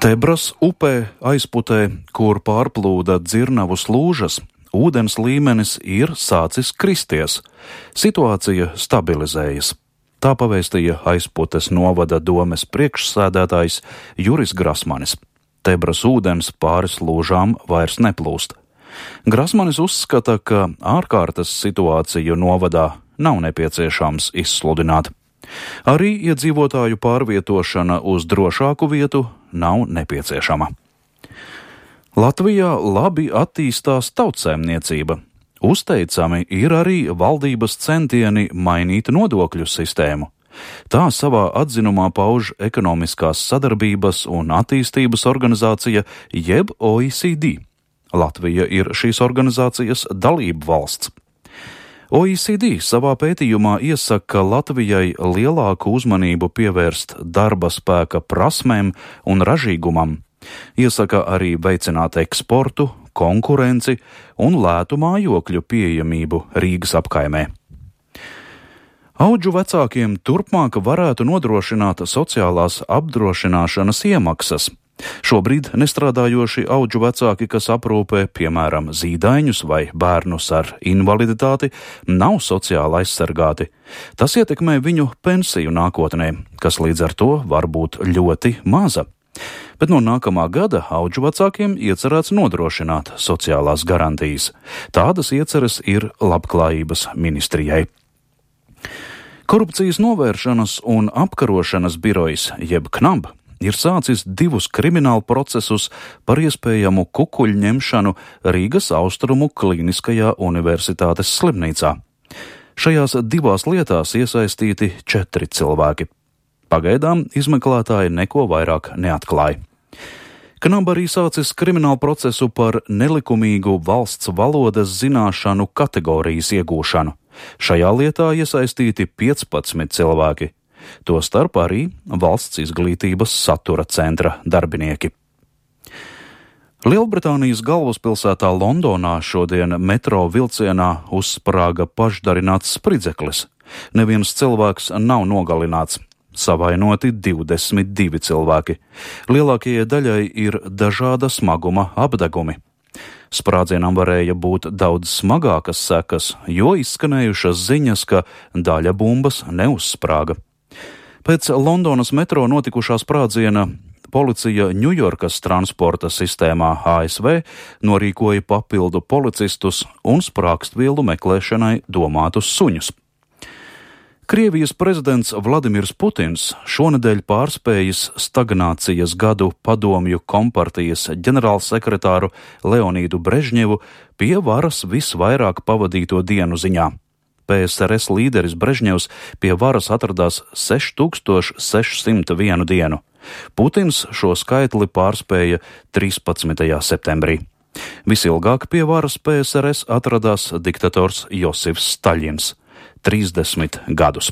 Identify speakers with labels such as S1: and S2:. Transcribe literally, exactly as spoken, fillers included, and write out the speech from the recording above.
S1: Tebras upē aizputē, kur pārplūda Dzirnavu slūžas, ūdens līmenis ir sācis kristies. Situācija stabilizējas. Tā pavēstīja Aizputes novada domes priekšsēdētājs Juris Grasmanis. Tebras ūdens pāri slūžām vairs neplūst. Grasmanis uzskata, ka ārkārtas situāciju novadā nav nepieciešams izsludināt. Arī iedzīvotāju pārvietošana uz drošāku vietu nav nepieciešama. Latvijā labi attīstās tautsēmniecība. Uzteicami ir arī valdības centieni mainīt nodokļu sistēmu. Tā savā atzinumā pauž Ekonomiskās sadarbības un attīstības organizācija jeb O E C D. Latvija ir šīs organizācijas dalību valsts. O E C D savā pētījumā iesaka Latvijai lielāku uzmanību pievērst darba spēka prasmēm un ražīgumam. Iesaka arī veicināt eksportu, konkurenci un lētu mājokļu pieejamību Rīgas apkaimē. Audžu vecākiem turpmāk varētu nodrošināt sociālās apdrošināšanas iemaksas. Šobrīd nestrādājoši audžu vecāki, kas aprūpē, piemēram, zīdaiņus vai bērnus ar invaliditāti, nav sociāli aizsargāti. Tas ietekmē viņu pensiju nākotnē, kas līdz ar to var būt ļoti maza. Bet no nākamā gada audžu vecākiem iecerēts nodrošināt sociālās garantijas. Tādas ieceres ir Labklājības ministrijai. Korupcijas novēršanas un apkarošanas birojs, jeb KNAB, ir sācis divus kriminālu procesus par iespējamu kukuļu ņemšanu Rīgas Austrumu Kliniskajā universitātes slimnīcā. Šajās divās lietās iesaistīti četri cilvēki. Pagaidām izmeklētāji neko vairāk neatklāja. KNAB arī sācis kriminālu procesu par nelikumīgu valsts valodas zināšanu kategorijas iegūšanu. Šajā lietā iesaistīti piecpadsmit cilvēki. Tostarp arī valsts izglītības satura centra darbinieki. Lielbritānijas galvaspilsētā Londonā šodien metro vilcienā uzsprāga pašdarināts spridzeklis. Neviens cilvēks nav nogalināts. Savainoti divdesmit divi cilvēki. Lielākajai daļai ir dažāda smaguma apdegumi. Sprādzienam varēja būt daudz smagākas sekas, jo izskanējušas ziņas, ka daļa bumbas neuzsprāga. Pēc Londonas metro notikušā sprādziena policija Ņujorkas transporta sistēmā A S V norīkoja papildu policistus un sprākstvielu meklēšanai domātus suņus. Krievijas prezidents Vladimirs Putins šonedēļ pārspējis stagnācijas gadu padomju kompartijas ģenerālsekretāru Leonīdu Brežņevu pie varas visvairāk pavadīto dienu ziņā. P S R S līderis Brežņevs pie varas atradās seši tūkstoši seši simti vienu dienu. Putins šo skaitli pārspēja trīspadsmitajā septembrī. Visilgāk pie varas P S R S atradās diktators Josifs Staļins – trīsdesmit gadus.